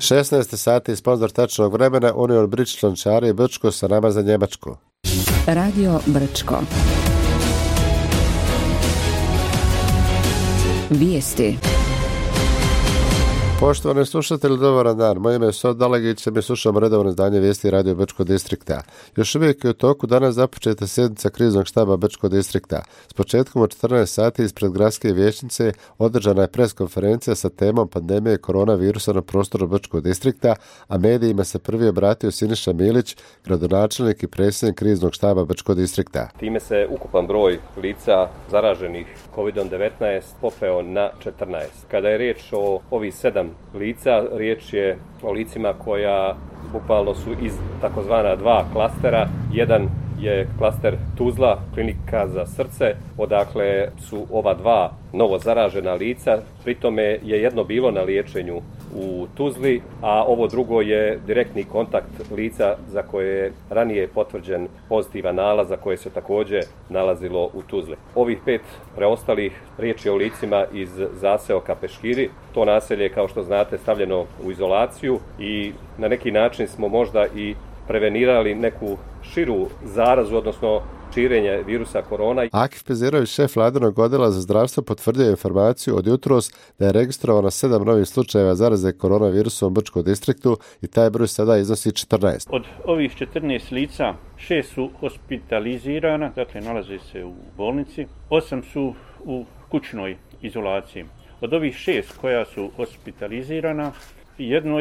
16 sati sponzor tačnog vremena Union Bridge Člančari Brčko sa nama za Njemačku. Radio Brčko. Vijesti. Poštovani slušatelji, dobar dan. Moje ime je Sod Dalegić, mi slušamo redovno izdanje vijesti Radio Brčko distrikta. Još uvijek je u toku danas započeta sjednica kriznog štaba Brčko distrikta. S početkom od 14 sati ispred gradske vijećnice održana je preskonferencija sa temom pandemije koronavirusa na prostoru Brčko distrikta, a medijima se prvi obratio Siniša Milić, gradonačelnik i predsjednik kriznog štaba Brčko distrikta. Time se ukupan broj lica zaraženih COVID-19 popeo na 14. Kada je riječ o ovih 7 lica, riječ je o licima koja bukvalno su iz takozvana 2 klastera. Jedan je klaster Tuzla, klinika za srce, odakle su ova 2 novo zaražena lica. Pritome je jedno bilo na liječenju u Tuzli, a ovo drugo je direktni kontakt lica za koje je ranije potvrđen pozitivan nalaz, za koje se također nalazilo u Tuzli. Ovih 5 preostalih riječ je o licima iz zaseoka Peškiri. To naselje je, kao što znate, stavljeno u izolaciju i na neki način smo možda i prevenirali neku širu zarazu, odnosno širenje virusa korona. Akif Pezirović, šef vladinog odjela za zdravstvo, potvrdio informaciju od jutros da je registrovano 7 novih slučajeva zaraze koronavirusom u Brčkom distriktu i taj broj sada iznosi 14. Od ovih 14 lica 6 su hospitalizirana, dakle nalaze se u bolnici, 8 su u kućnoj izolaciji. Od ovih 6 koja su hospitalizirana, jedno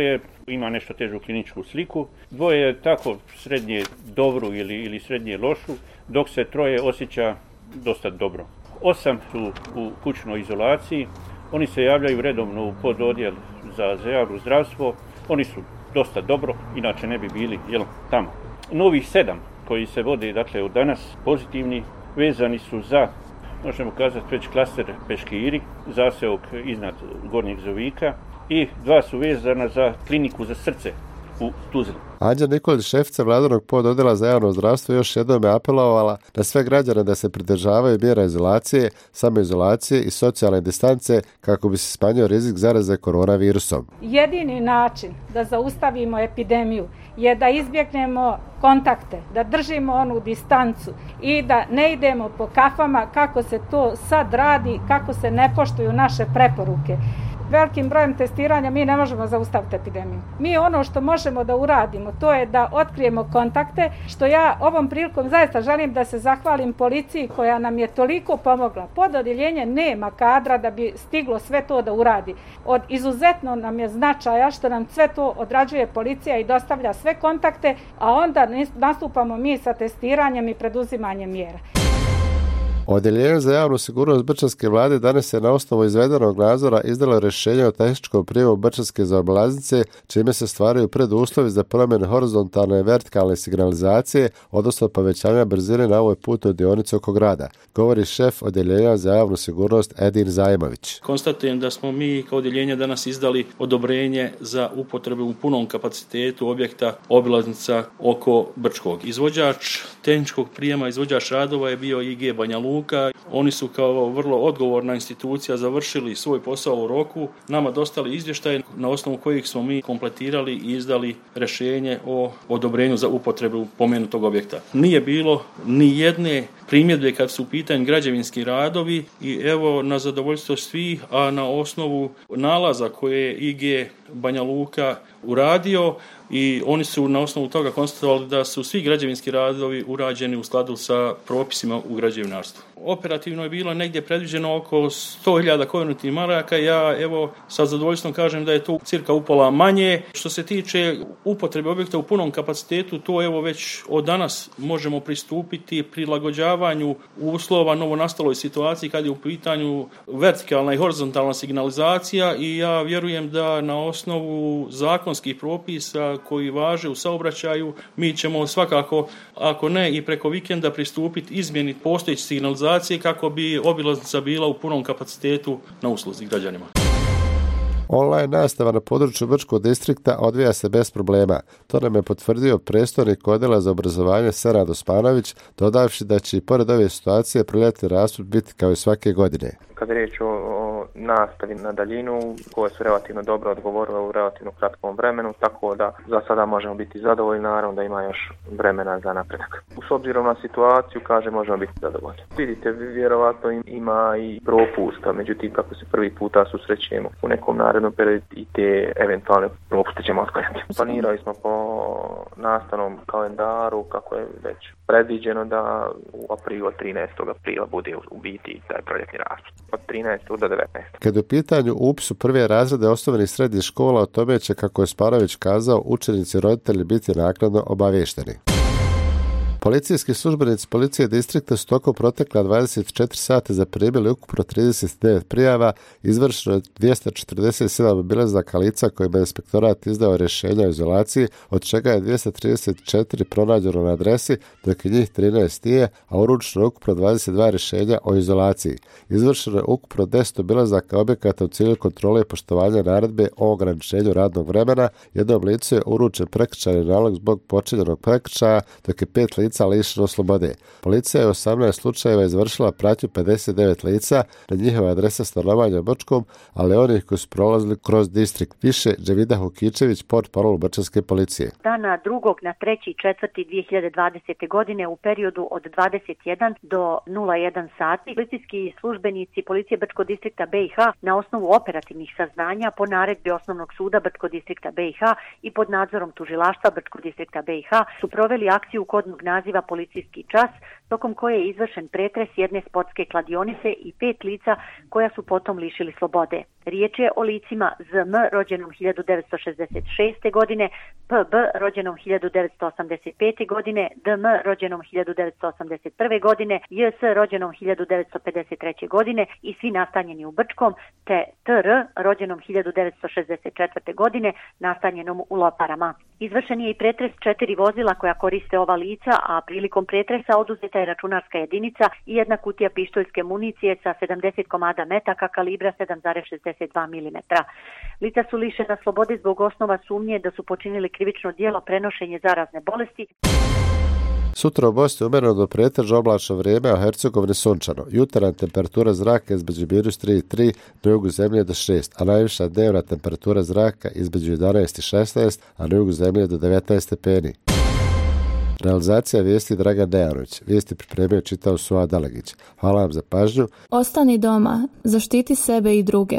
ima nešto težu kliničku sliku, 2 je tako srednje dobru ili srednje lošu, dok se 3 osjeća dosta dobro. 8 su u kućnoj izolaciji, oni se javljaju redovno u pododjel za javno zdravstvo, oni su dosta dobro, inače ne bi bili tamo. Novih 7 koji se vode dakle od danas pozitivni, vezani su za, možemo kazati, već klaster Peškiri, zaseok iznad Gornjeg Zovika, i 2 su vezana za kliniku za srce u Tuzli. Anđa Nikolić, šefica vladinog pododjela za javno zdravstvo, još jednom je apelovala na sve građane da se pridržavaju mjera izolacije, samoizolacije i socijalne distance kako bi se smanjio rizik zaraze koronavirusom. Jedini način da zaustavimo epidemiju je da izbjegnemo kontakte, da držimo onu distancu i da ne idemo po kafama kako se to sad radi, kako se ne poštuju naše preporuke. Velikim brojem testiranja mi ne možemo zaustaviti epidemiju. Mi ono što možemo da uradimo, to je da otkrijemo kontakte, što ja ovom prilikom zaista želim da se zahvalim policiji koja nam je toliko pomogla. Pododjeljenje nema kadra da bi stiglo sve to da uradi. Od izuzetno nam je značaja što nam sve to odrađuje policija i dostavlja sve kontakte, a onda nastupamo mi sa testiranjem i preduzimanjem mjera. Odjeljenje za javnu sigurnost Brčanske vlade danas je na osnovu izvedenog nadzora izdalo rješenje o tehničkom prijemu Brčanske zaobilaznice, čime se stvaraju preduslovi za promjenu horizontalne i vertikalne signalizacije, odnosno povećanja brzine na ovoj putnoj dionici oko grada, govori šef odjeljenja za javnu sigurnost Edin Zajmović. Konstatujem da smo mi kao odjeljenje danas izdali odobrenje za upotrebu u punom kapacitetu objekta obilaznica oko Brčkog. Izvođač tehničkog prijema, izvođač radova je bio IG Banja Luka. Oni su kao vrlo odgovorna institucija završili svoj posao u roku, nama dostali izvještaje na osnovu kojih smo mi kompletirali i izdali rješenje o odobrenju za upotrebu pomenutog objekta. Nije bilo ni jedne primjedbe kad su u pitanju građevinski radovi i evo na zadovoljstvo svih, a na osnovu nalaza koje je IG Banja Luka uradio i oni su na osnovu toga konstatovali da su svi građevinski radovi urađeni u skladu sa propisima u građevinarstvu. Operativno je bilo negdje predviđeno oko 100.000 konutnih maraka. Ja evo sa zadovoljstvom kažem da je to cirka upola manje. Što se tiče upotrebe objekta u punom kapacitetu, to evo već od danas možemo pristupiti prilagođavanju uslova novonastaloj situaciji kad je u pitanju vertikalna i horizontalna signalizacija i ja vjerujem da na osnovu zakonskih propisa koji važe u saobraćaju mi ćemo svakako, ako ne i preko vikenda, pristupiti izmjeni postojeće signalizacije kako bi obilaznica bila u punom kapacitetu na usluzi građanima. Online nastava na području Brčkog distrikta odvija se bez problema. To nam je potvrdio predstojnik odjela za obrazovanje Senad Osmanović, dodavši da će i pored ove situacije proljetni raspust biti kao i svake godine. Kad je riječ o nastavi na daljinu koje su relativno dobro odgovorile u relativno kratkom vremenu, tako da za sada možemo biti zadovoljni, naravno da ima još vremena za napredak. S obzirom na situaciju, možemo biti zadovoljni. Vidite, vjerovatno ima i propusta, međutim kako se prvi puta susrećemo u nekom narednom periodu i te eventualne propuste ćemo otklanjati. Planirali smo po nastavnom kalendaru kako je već predviđeno da u aprilu, 13. aprila bude u biti taj proljetni raspust. Od 13. do 19. Kad u pitanju upis u prve razrede osnovnih srednjih škola, o tome će, kako je Spanović kazao, učenici i roditelji biti naknadno obavješteni. Policijski službenici policije distrikta su tokom protekla 24 sata zaprimili ukupno 39 prijava, izvršeno je 247 obilazaka lica kojima je inspektorat izdao rješenja o izolaciji, od čega je 234 pronađeno na adresi, dok je njih 13 nije, a uručeno ukupno 22 rješenja o izolaciji. Izvršeno je ukupno 10 obilazaka objekata u cilju kontrole i poštovanja naredbe o ograničenju radnog vremena. Jednom licu je uručen prekršajni nalog zbog počinjenog prekršaja, dok je 5 lica lišeno slobode. Policija je u 18 slučajeva izvršila pratnju 59 lica na njihove adrese stanovanja u Brčkom, ali onih koji su prolazili kroz distrikt. Više Dževida Hukičević, portparol Brčanske policije. Dana 2. na 3.4.2020. godine u periodu od 21 do 01 sati policijski službenici policije Brčkog distrikta BiH na osnovu operativnih saznanja po naredbi Osnovnog suda Brčkog distrikta BiH i pod nadzorom tužilaštva Brčkog distrikta BiH su proveli akciju kodnog naziva Policijski čas, tokom koje je izvršen pretres jedne sportske kladionice i 5 lica koja su potom lišili slobode. Riječ je o licima ZM rođenom 1966. godine, PB rođenom 1985. godine, DM rođenom 1981. godine, JS rođenom 1953. godine i svi nastanjeni u Brčkom, te TR rođenom 1964. godine nastanjenom u Loparama. Izvršen je i pretres 4 vozila koja koriste ova lica, a prilikom pretresa oduzeta je računarska jedinica i jedna kutija pištoljske municije sa 70 komada metaka kalibra 7,62 mm. Lica su lišena slobode zbog osnova sumnje da su počinili krivično djelo prenošenje zarazne bolesti. Sutra u Bosni umjereno do pretežno oblačno vrijeme, a u Hercegovini sunčano. Jutarnja temperatura zraka između -3 i 3, na jugu zemlje do 6, a najviša dnevna temperatura zraka između 11 i 16, a na jugu zemlje do 19 stepeni. Realizacija vijesti Dragan Dejanović. Vijesti pripremio čitao Suad Dalegić. Hvala vam za pažnju. Ostani doma, zaštiti sebe i druge.